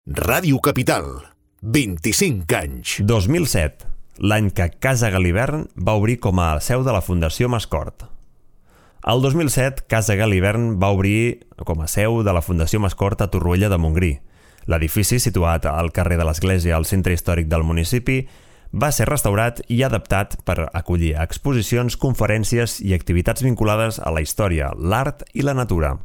Ràdio Capital, 25 anys. 2007, l'any que Casa Galivern va obrir com a seu de la Fundació Mascort. El 2007, Casa Galivern va obrir com a seu de la Fundació Mascort a Torroella de Montgrí. L'edifici, situat al carrer de l'Església al centre històric del municipi, va ser restaurat i adaptat per acollir exposicions, conferències i activitats vinculades a la història, l'art i la natura.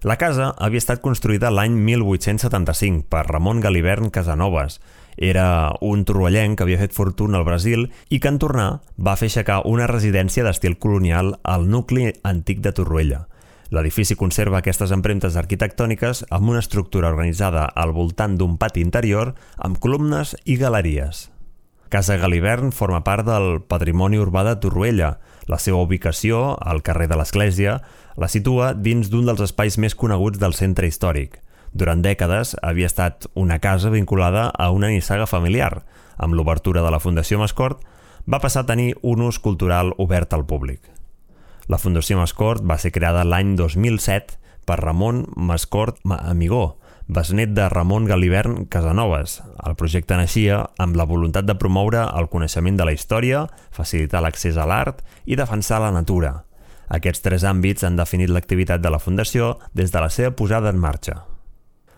La casa havia estat construïda l'any 1875 per Ramon Galivern Casanovas. Era un torroellenc que havia fet fortuna al Brasil i que en tornar va fer aixecar una residència d'estil colonial al nucli antic de Torroella. L'edifici conserva aquestes empremtes arquitectòniques amb una estructura organitzada al voltant d'un pati interior amb columnes i galeries. Casa Galivern forma part del patrimoni urbà de Torroella. La seva ubicació, al carrer de l'Església, la situa dins d'un dels espais més coneguts del centre històric. Durant dècades havia estat una casa vinculada a una nissaga familiar. Amb l'obertura de la Fundació Mascort va passar a tenir un ús cultural obert al públic. La Fundació Mascort va ser creada l'any 2007 per Ramon Mascort Amigó, besnet de Ramon Galivern Casanovas. El projecte naixia amb la voluntat de promoure el coneixement de la història, facilitar l'accés a l'art i defensar la natura. Aquests tres àmbits han definit l'activitat de la Fundació des de la seva posada en marxa.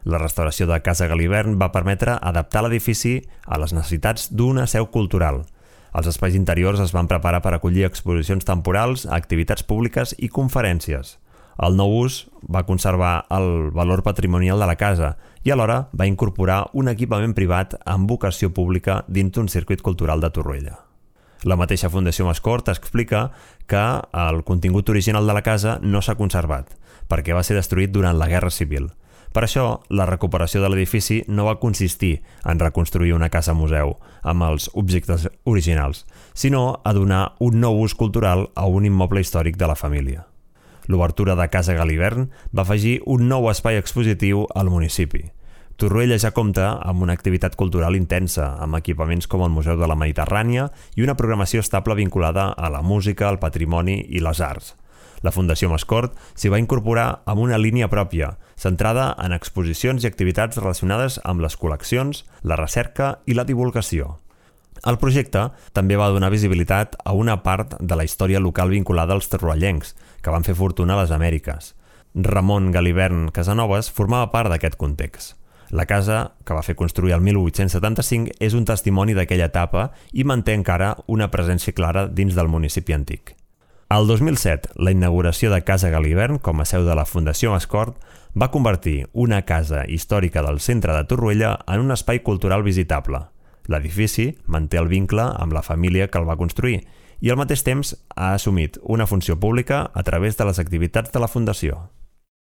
La restauració de Casa Galivern va permetre adaptar l'edifici a les necessitats d'una seu cultural. Els espais interiors es van preparar per acollir exposicions temporals, activitats públiques i conferències. El nou ús va conservar el valor patrimonial de la casa i alhora va incorporar un equipament privat amb vocació pública dins d'un circuit cultural de Torroella. La mateixa Fundació Mascort explica que el contingut original de la casa no s'ha conservat, perquè va ser destruït durant la Guerra Civil. Per això, la recuperació de l'edifici no va consistir en reconstruir una casa-museu amb els objectes originals, sinó a donar un nou ús cultural a un immoble històric de la família. L'obertura de Casa Galivern va afegir un nou espai expositiu al municipi. Torroella ja compta amb una activitat cultural intensa, amb equipaments com el Museu de la Mediterrània i una programació estable vinculada a la música, el patrimoni i les arts. La Fundació Mascort s'hi va incorporar amb una línia pròpia, centrada en exposicions i activitats relacionades amb les col·leccions, la recerca i la divulgació. El projecte també va donar visibilitat a una part de la història local vinculada als torroellencs, que van fer fortuna a les Amèriques. Ramon Galivern Casanovas formava part d'aquest context. La casa, que va fer construir el 1875, és un testimoni d'aquella etapa i manté encara una presència clara dins del municipi antic. El 2007, la inauguració de Casa Galivern com a seu de la Fundació Mascort va convertir una casa històrica del centre de Torroella en un espai cultural visitable. L'edifici manté el vincle amb la família que el va construir i al mateix temps ha assumit una funció pública a través de les activitats de la Fundació.